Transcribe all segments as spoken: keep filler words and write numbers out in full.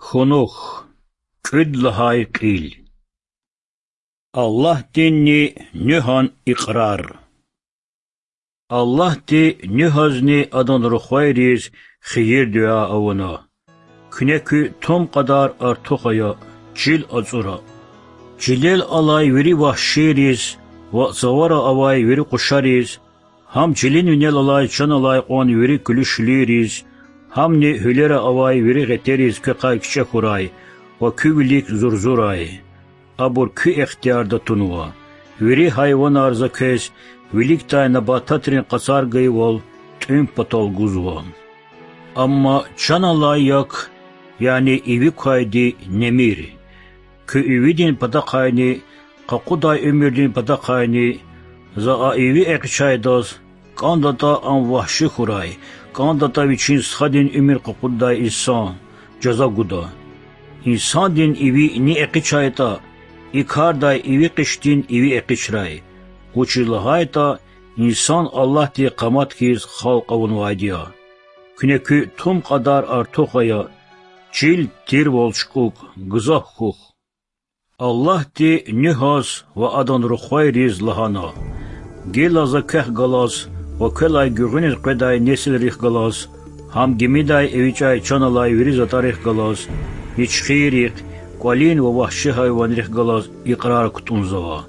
Кунух. Кӏуьд лагьай кьил. Аллагьдинни Нуьгьан икьрар. Аллагьди Нуьгьазни адан рухвайриз хийир-дуьа авуна: Куьне куьн тум кьадар артух ая, чил ацӏура. Чилел алай вири вагьшийриз ва цавара авай вири къушариз, гьам чилин винел алай чан алай кьван вири куьлуь-шуьлуьйриз, гьамни гьуьлера авай вири гъетериз квехъай кичӏе хьурай ва куь вилик зурзурай. Абур куь ихтиярда тунва. Вири гьайванар за квез виликдай набататрин къацар гайивал тӏуьн патал гузва. Амма чан алай як, яни иви квайди немир. Куь ивидин патахъайни, къакъудай уьмуьрдин патахъайни, за а иви экъичӀайдаз, кӀандатӀа ам вагьши хьурай, кӀандатӀа вичин стхадин уьмуьр къакъуддай инсан, жаза гуда. Инсандин иви ни экъичӀайтӀа, и кардай иви къичдин иви экъичӀрай. Вучиз лагьайтӀа инсан Аллагьди къамат хьиз халкь авунвайди я. Куьне куьн тум кьадар артух ая, чил тирвал чукӀук, гзаф хьухь. Аллагьди Нуьгьаз ва адан рухвайриз лагьана: Гила за квехъ галаз ва квелай гуьгъуьниз къведай несилрихъ галаз, гьам гимидай эвичӀай чан алай вири затӀарихъ галаз, ничхиррихъ, кӀвалин ва вагьши гьайванрихъ галаз икьрар кутӀунзава.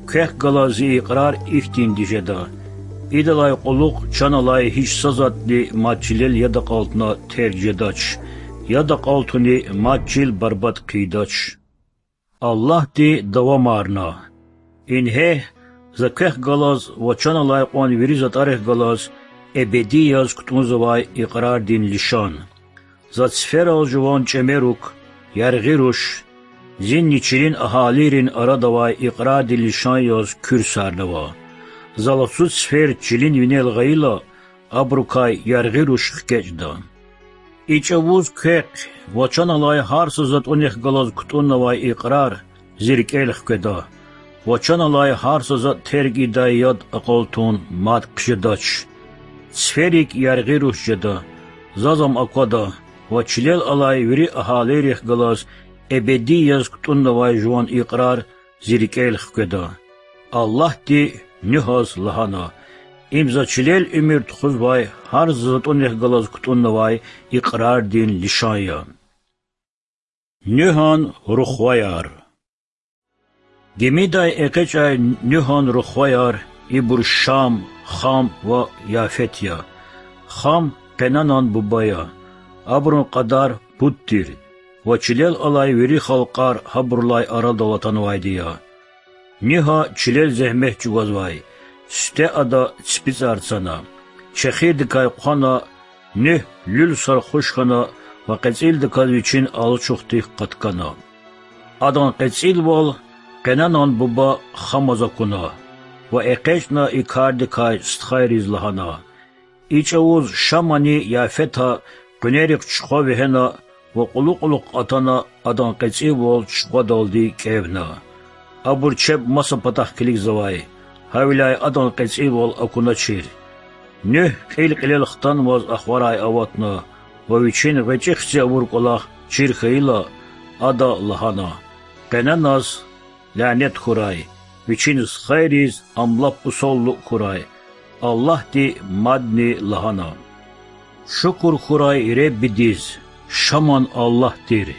Квехъ галаз зи икьрар ихьтинди жеда: идалай кьулухъ чан алай гьич са затӀни мад чилел яд акьалтна терг жедач, яд акьалтуни мад чил барбатӀ хъийидач. Аллагьди давамарна: Ингье, за квехъ галаз ва чан алай кьван вири затӀарихъ галаз эбеди яз кутӀунзавай икьрардин лишан. За циферал жуван чӀемерук, яргъи руш, зинни чилин агьалийрин арада авай икьрардин лишан яз куьрсарнава. За лацу цифер чилин винел гъайила, абурукай яргъи руш хкечӀда. И чӀавуз квехъ ва чан алай гьар са затӀунихъ галаз кутӀуннавай икьрар зи рикӀел хкведа, ва чан алай гьар са затӀ терг ийидай яд акьалтун мад хъжедач. Циферик яргъи руш жеда, заз ам аквада, ва чилел алай вири агьалийрихъ галаз эбеди яз кутӀуннавай жуван икьрар зи рикӀел хкведа. Аллагьди Нуьгьаз лагьана: Им за чилел уьмуьр тухузвай гьар са затӀунихъ галаз кутӀуннавай икьрардин лишан я. Нуьгьан рухваяр. Гимидай экъечӀай Нуьгьан рухваяр ибур Шам, Хам ва Яфет я. Хам Къенанан буба я. Абурун кьадар пуд тир ва чилел алай вири халкьар гьабурулай арадал атанвайди я. Нуьгьа чилел зегьмет чӀугвазвай, сифте ада ципицӀар цана, чехирдикай хъвана, Нуьгь люлсар хуш хьана ва кьецӀилдаказ вичин алачухдик къаткана. Адан кьецӀилвал Къенанан буба Хамаз акуна ва экъечӀна и кардикай стхайриз лагьана. И чӀавуз Шамани Яфета къуьнерихъ чухва вегьена ва кьулу-кьулухъ атана адан кьецӀилвал чухвадалди кӀевна. Абур чеб маса патахъ килигзавай, гьавиляй адан кьецӀилвал акуначир. Нуьгь кьил-кьилел хтанмаз ахварай аватна ва вичин гъвечӀи хци авур кӀвалах чир хьайила, ада лагьана: Къенаназ лянет хьурай, вичин стхайриз ам лап усал лукӀ хьурай. Аллагьди мадни лагьана: Шукур хьурай Реббидиз, Шаман Аллагь тир.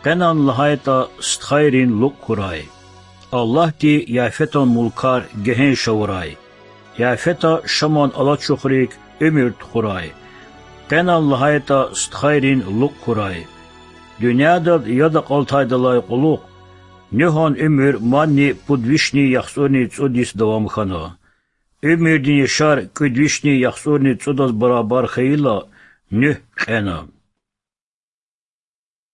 Къенан лагьайтӀа стхайрин лукӀ хьурай. Аллагьди Яфетан мулкар гегьенш авурай. Яфета Шаман алачухрик уьмуьр тухурай. Къенан лагьайтӀа стхайрин лукӀ хьурай. Дуьньядал яд акьалтайдалай кьулухъ Нуьгьан уьмуьр мадни пуд вишни яхцӀурни цӀуд йис давам хьана. Уьмуьрдин яшар кӀуьд вишни яхцӀурни цӀудаз барабар хьайила, Нуьгь кьена.